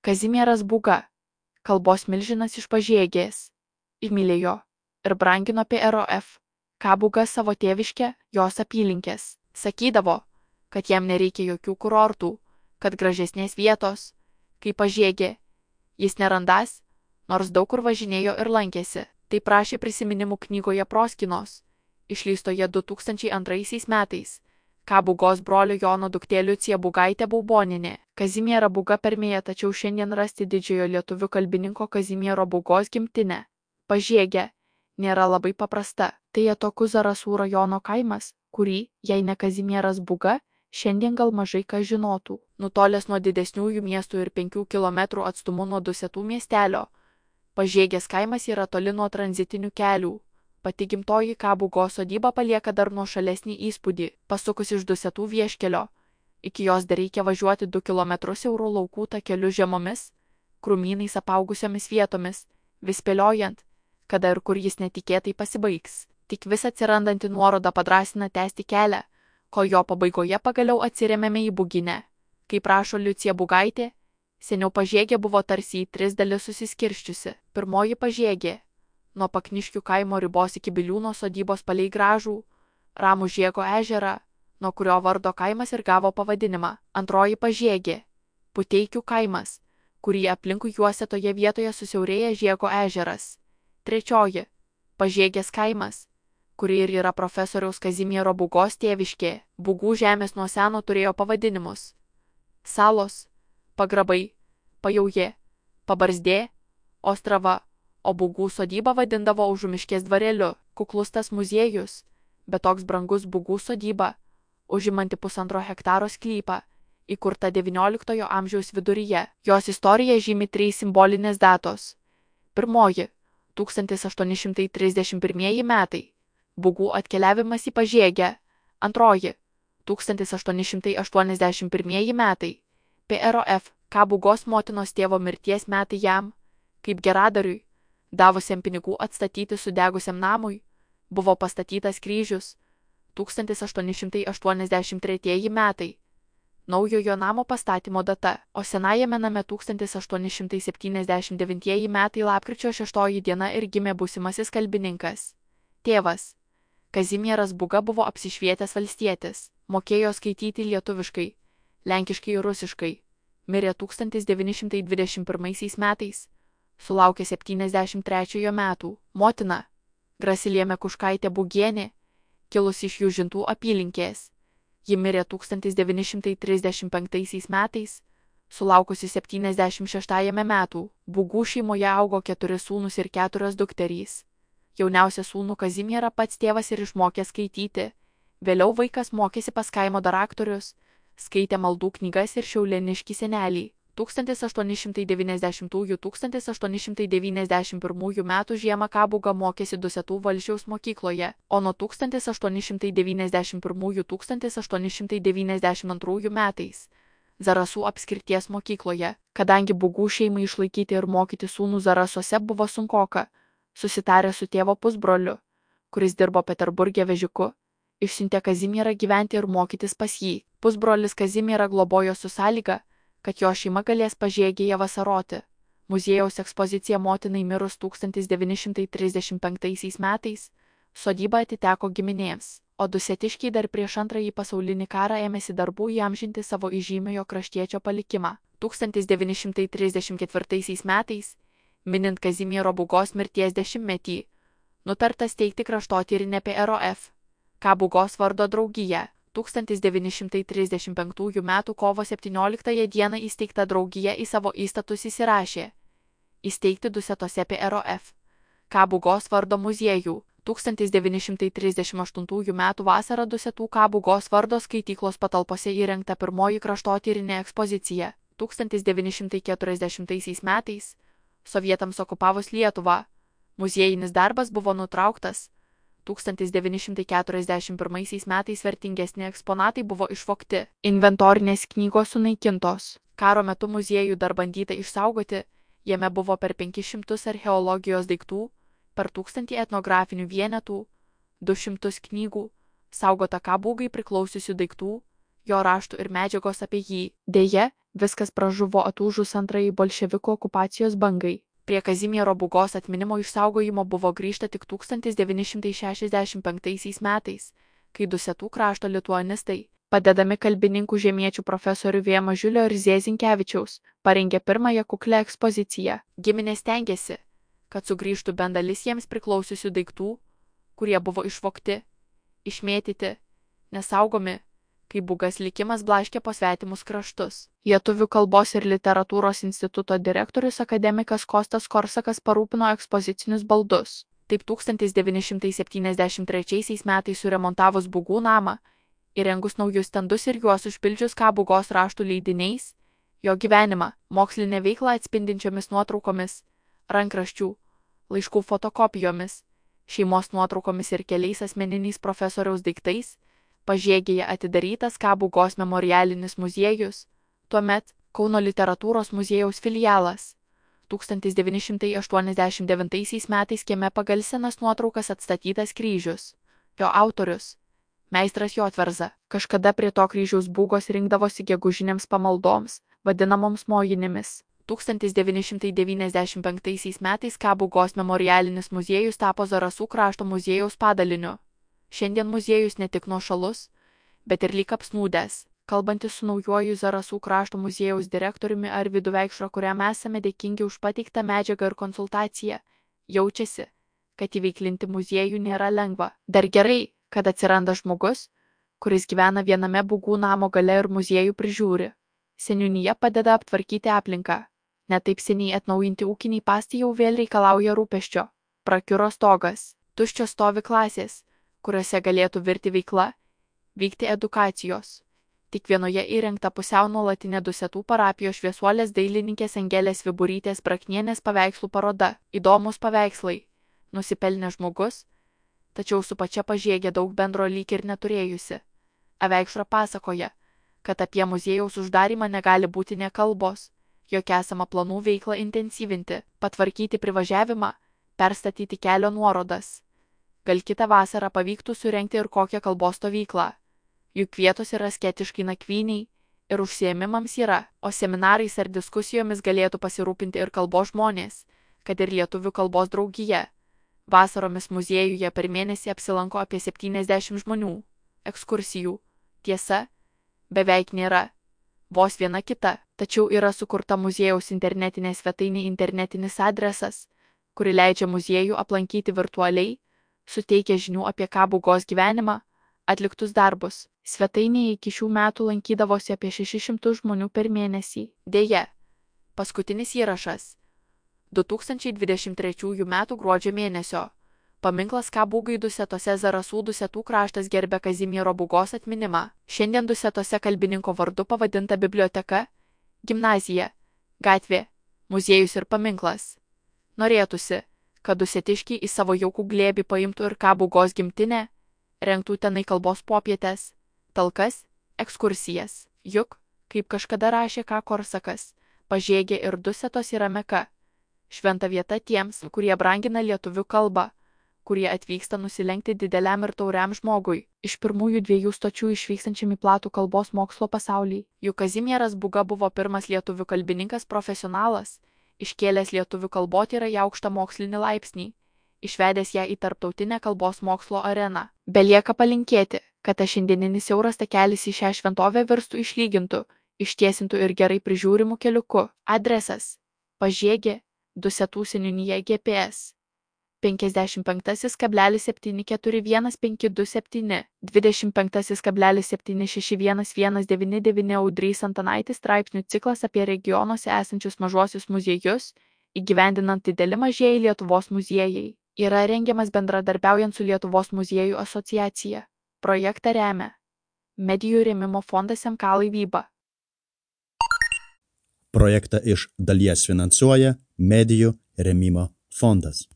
Kazimieras Būga, kalbos milžinas iš Pažiegės, įmylėjo ir brangino PROF. K. Būga savo tėviškę, jos apylinkės. Sakydavo, kad jam nereikia jokių kurortų, kad gražesnės vietos, kaip Pažiegė, jis nerandas, nors daug kur važinėjo ir lankėsi. Tai prašė prisiminimų knygoje Proskinos, išleistoje 2002 metais. K. Būgos brolio Jono duktė Liucija Būgaitė Baubonienė. Kazimierą Būgą permėja, tačiau šiandien rasti didžiojo lietuvių kalbininko Kazimiero Būgos gimtinę, Pažiegę, nėra labai paprasta. Tai atokus Zarasų rajono kaimas, kurį, jei ne Kazimieras Būga, šiandien gal mažai kas žinotų. Nutolęs nuo didesniųjų miestų ir 5 km atstumu nuo Dusetų miestelio, Pažiegės kaimas yra toli nuo tranzitinių kelių. Pati gimtoji K. Būgos sodyba palieka dar nuošalesnį įspūdį. Pasukus iš Dusetų vieškelio, iki jos dar reikia važiuoti 2 km siaurų laukų takeliu žemomis, krūmynais apaugusiomis vietomis, vis spėliojant, kada ir kur jis netikėtai pasibaigs. Tik vis atsirandanti nuoroda padrąsina tęsti kelią, kol jo pabaigoje pagaliau atsiremėme į Būginę. Kaip rašo Liucija Būgaitė, seniau Pažiegė buvo tarsi į 3 dalis susiskirsčiusi. Pirmoji Pažiegė, nuo Pakniškių kaimo ribos iki Biliūno sodybos palei gražų, ramų Žiego ežerą, nuo kurio vardo kaimas ir gavo pavadinimą. Antroji Pažiegė, Puteikių kaimas, kurį aplinkui juosia toje vietoje susiaurėja Žiego ežeras. Trečioji Pažiegės kaimas, kuri ir yra profesoriaus Kazimiero Būgos tėviškė. Būgų žemės nuo seno turėjo pavadinimus: Salos, Pagrabai, Pajaujė, Pabarzdė, Ostrava, o Būgų sodybą vadindavo Užumiškės dvareliu. Kuklus tas muziejus, bet toks brangus Būgų sodyba, užimanti 1,5 hektaro sklypą, įkurta XIX amžiaus viduryje. Jos istorija žymi 3 simbolinės datos. Pirmoji – 1831 metai – Būgų atkeliavimas į Pažiegę. Antroji – 1881 metai – PROF. K. Būgos motinos tėvo mirties metai jam, kaip geradariui, davusiam pinigų atstatyti sudegusiam namui, buvo pastatytas kryžius. 1883 metai – naujojo namo pastatymo data, o senajame name 1879 metai lapkričio 6 diena ir gimė būsimasis kalbininkas. Tėvas Kazimieras Būga buvo apsišvietęs valstietis, mokėjo skaityti lietuviškai, lenkiškai ir rusiškai. Mirė 1921 metais, sulaukė 73 metų. Motina Grasilija Mekuškaitė Būgienė, kilusi iš Jūžintų apylinkės. Ji mirė 1935 metais, sulaukusi 76 metų. Būgų šeimoje augo 4 sūnus ir 4 dukterys. Jauniausią sūnų Kazimierą pats tėvas ir išmokė skaityti. Vėliau vaikas mokėsi pas kaimo daraktorius, skaitė maldų knygas ir šiaulėniškį senelį. 1890–1891 metų žiemą K. Būga mokėsi Dusetų Valsčiaus mokykloje, o nuo 1891–1892 metais Zarasų apskrities mokykloje. Kadangi Būgų šeimai išlaikyti ir mokyti sūnų Zarasuose buvo sunkoka, susitarė su tėvo pusbroliu, kuris dirbo Peterburge vežiku, išsiuntė Kazimierą gyventi ir mokytis pas jį. Pusbrolis Kazimierą globojo su sąlyga, kad jo šeima galės Pažiegėje vasaroti. Muziejaus ekspozicija motinai mirus 1935 metais, sodyba atiteko giminėms, o dusetiškiai dar prieš Antrąjį pasaulinį karą ėmėsi darbų įamžinti savo įžymiojo kraštiečio palikimą. 1934 metais, minint Kazimiero Būgos mirties 10-metį, nutarta steigti kraštotyrinę PROF. K. Būgos vardo draugiją. 1935 m. kovo 17 d. įsteigta draugija į savo įstatus įsirašė įsteigti Dusetose PROF. K. Būgos vardo muziejų. 1938 m. vasarą Dusetų K. Būgos vardo skaityklos patalpose įrengta pirmoji kraštotyrinė ekspozicija. 1940 metais, sovietams okupavus Lietuvą, muziejinis darbas buvo nutrauktas. 1941 metais vertingesni eksponatai buvo išvogti, inventorinės knygos sunaikintos. Karo metu muziejų dar bandyta išsaugoti, jame buvo per 500 archeologijos daiktų, per 1000 etnografinių vienetų, 200 knygų, saugota K. Būgai priklausiusių daiktų, jo raštų ir medžiagos apie jį. Deja, Viskas pražuvo atūžus antrajai bolševikų okupacijos bangai. Prie Kazimiero Būgos atminimo išsaugojimo buvo grįžta tik 1965 metais, kai Dusetų krašto lituanistai, padedami kalbininkų žemiečių profesorių V. Mažiulio ir Z. Zinkevičiaus, parengė pirmąją kuklią ekspoziciją. Giminės tenkėsi, kad sugrįžtų bent dalis jiems priklausiusių daiktų, kurie buvo išvogti, išmėtyti, nesaugomi, kai Būgas likimas blaškė po svetimus kraštus. Lietuvių kalbos ir literatūros instituto direktorius akademikas Kostas Korsakas parūpino ekspozicinius baldus. Taip 1973 metais suremontavus Būgų namą, įrengus naujus stendus ir juos užpildžius K. Būgos raštų leidiniais, jo gyvenimą, mokslinę veiklą atspindinčiomis nuotraukomis, rankraščių, laiškų fotokopijomis, šeimos nuotraukomis ir keliais asmeniniais profesoriaus daiktais, Pažiegėje atidarytas K. Būgos memorialinis muziejus, tuomet Kauno literatūros muziejaus filialas. 1989 metais kieme pagal senas nuotraukas atstatytas kryžius. Jo autorius – meistras Jotverza. Kažkada prie to kryžiaus Būgos rinkdavosi gegužinėms pamaldoms, vadinamoms mojinėmis. 1995 metais K. Būgos memorialinis muziejus tapo Zarasų krašto muziejaus padaliniu. Šiandien muziejus ne tik nuošalus, bet ir lyg apsnūdęs. Kalbantis su naujuoju Zarasų krašto muziejaus direktoriumi Arvydu Veikšra, kuriam esame dėkingi už pateiktą medžiagą ir konsultaciją, jaučiasi, kad įveiklinti muziejų nėra lengva. Dar gerai, kad atsiranda žmogus, kuris gyvena viename Būgų namo gale ir muziejų prižiūri. Seniūnija padeda aptvarkyti aplinką. Netaip seniai atnaujinti ūkiniai pastai jau vėl reikalauja rūpesčio. Prakiuro stogas, tuščios stovi klasės, kuriuose galėtų virti veikla, vykti edukacijos. Tik vienoje įrengta pusiau nuolatinė Dusetų parapijos šviesuolės dailininkės Angelės Viburytės Braknienės paveikslų paroda. Įdomus paveikslai, nusipelnė žmogus, tačiau su pačia Pažiegė daug bendro lyg ir neturėjusi. Aveikšra pasakoja, kad apie muziejaus uždarymą negali būti nė kalbos, jog esama planų veiklą intensyvinti, patvarkyti privažiavimą, perstatyti kelio nuorodas. Gal kitą vasarą pavyktų surengti ir kokią kalbos stovyklą. Juk vietos yra sketiškai nakvyniai ir užsiėmimams yra, o seminarais ar diskusijomis galėtų pasirūpinti ir kalbos žmonės, kad ir lietuvių kalbos draugija. Vasaromis muziejuje per mėnesį apsilanko apie 70 žmonių. Ekskursijų, tiesa, beveik nėra. Vos viena kita, tačiau yra sukurta muziejaus internetinė svetainė internetinis adresas, kuri leidžia muziejų aplankyti virtualiai, suteikia žinių apie K. Būgos gyvenimą, atliktus darbus. Svetainėje iki šių metų lankydavosi apie 600 žmonių per mėnesį. Deja, paskutinis įrašas 2023 m. gruodžio mėnesio. Paminklas K. Būgai Dusetose. Zarasų Dusetų kraštas gerbia Kazimiero Būgos atminimą. Šiandien Dusetose kalbininko vardu pavadinta biblioteka, gimnazija, gatvė, muziejus ir paminklas. Norėtųsi, kad dusetiškiai į savo jaukų glėbį paimtų ir K. Būgos gimtinę, rengtų tenai kalbos popietės, talkas, ekskursijas. Juk, kaip kažkada rašė K. Korsakas, Pažiegė ir Dusetos yra Meka. Šventa vieta tiems, kurie brangina lietuvių kalbą, kurie atvyksta nusilenkti dideliam ir tauriam žmogui, iš pirmųjų 2 stočių išvykstančiam į platų kalbos mokslo pasaulį. Juk Kazimieras Būga buvo pirmas lietuvių kalbininkas profesionalas, iškėlęs lietuvių kalbotyrą į aukštą mokslinį laipsnį, išvedęs ją į tarptautinę kalbos mokslo areną. Belieka palinkėti, kad tas šiandieninis siauras takelis į šią šventovę virstų išlygintų, ištiesintų ir gerai prižiūrimų keliuku. Adresas: Pažiegė, Dusetų seniūnija GPS 55,7411527, 25,7611199 Audrys Antanaitis straipsnių ciklas apie regionuose esančius mažuosius muziejus, įgyvendinant dideli mažieji Lietuvos muziejai, yra rengiamas bendradarbiaujant su Lietuvos muziejų asociacija. Projektą remia Medijų rėmimo fondas MK Laivyba. Projektą iš dalies finansuoja Medijų rėmimo fondas.